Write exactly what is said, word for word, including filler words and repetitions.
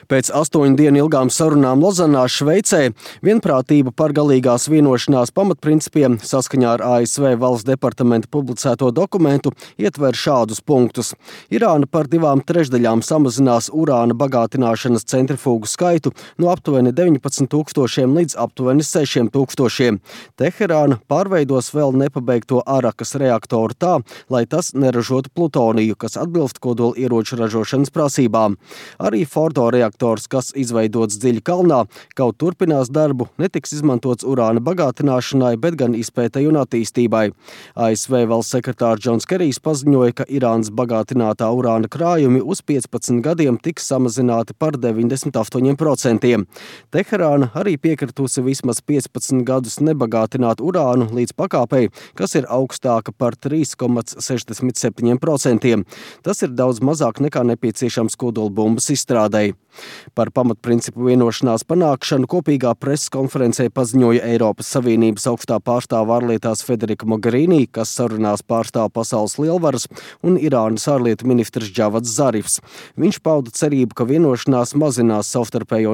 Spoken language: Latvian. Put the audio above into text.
Pēc astoņu dienu ilgām sarunām Lozanā, Šveicē, vienprātība par galīgās vienošanās pamatprincipiem saskaņā ar A S V valsts departamenta publicēto dokumentu ietver šādus punktus. Irāna par divām trešdaļām samazinās urāna bagātināšanas centrifūgu skaitu no aptuveni deviņpadsmit tūkstošiem līdz aptuveni sešiem tūkstošiem. Teherāna pārveidos vēl nepabeigto Arakas reaktoru tā, lai tas neražotu plutoniju, kas atbilst kodola ieroču ražošanas prasībām. Arī Fordo reaktors, kas izveidots dziļi kalnā, kaut turpinās darbu, netiks izmantots urāna bagātināšanai, bet gan izpētei un attīstībai. A S V valsts sekretārs Džons Kerijs paziņoja, ka Irānas bagātinātā urāna krājumi uz piecpadsmit gadiem tiks samazināti par deviņdesmit astoņiem procentiem. Teherāna arī piekritusi vismaz piecpadsmit gadus nebagātināt urānu līdz pakāpei, kas ir augstāka par trīs komā sešdesmit septiņiem procentiem. Tas ir daudz mazāk nekā nepieciešams kodolbumbas izstrādei. Par pamatprincipu vienošanās panākšanu kopīgā preses konferencē paziņoja Eiropas Savienības augstā pārstāve ārlietās Federika Mogherini, kas sarunās pārstāv pasaules lielvaras, un Irānas ārlietu ministrs Džavads Zarifs. Viņš pauda cerību, ka vienošanās mazinās savstarpējo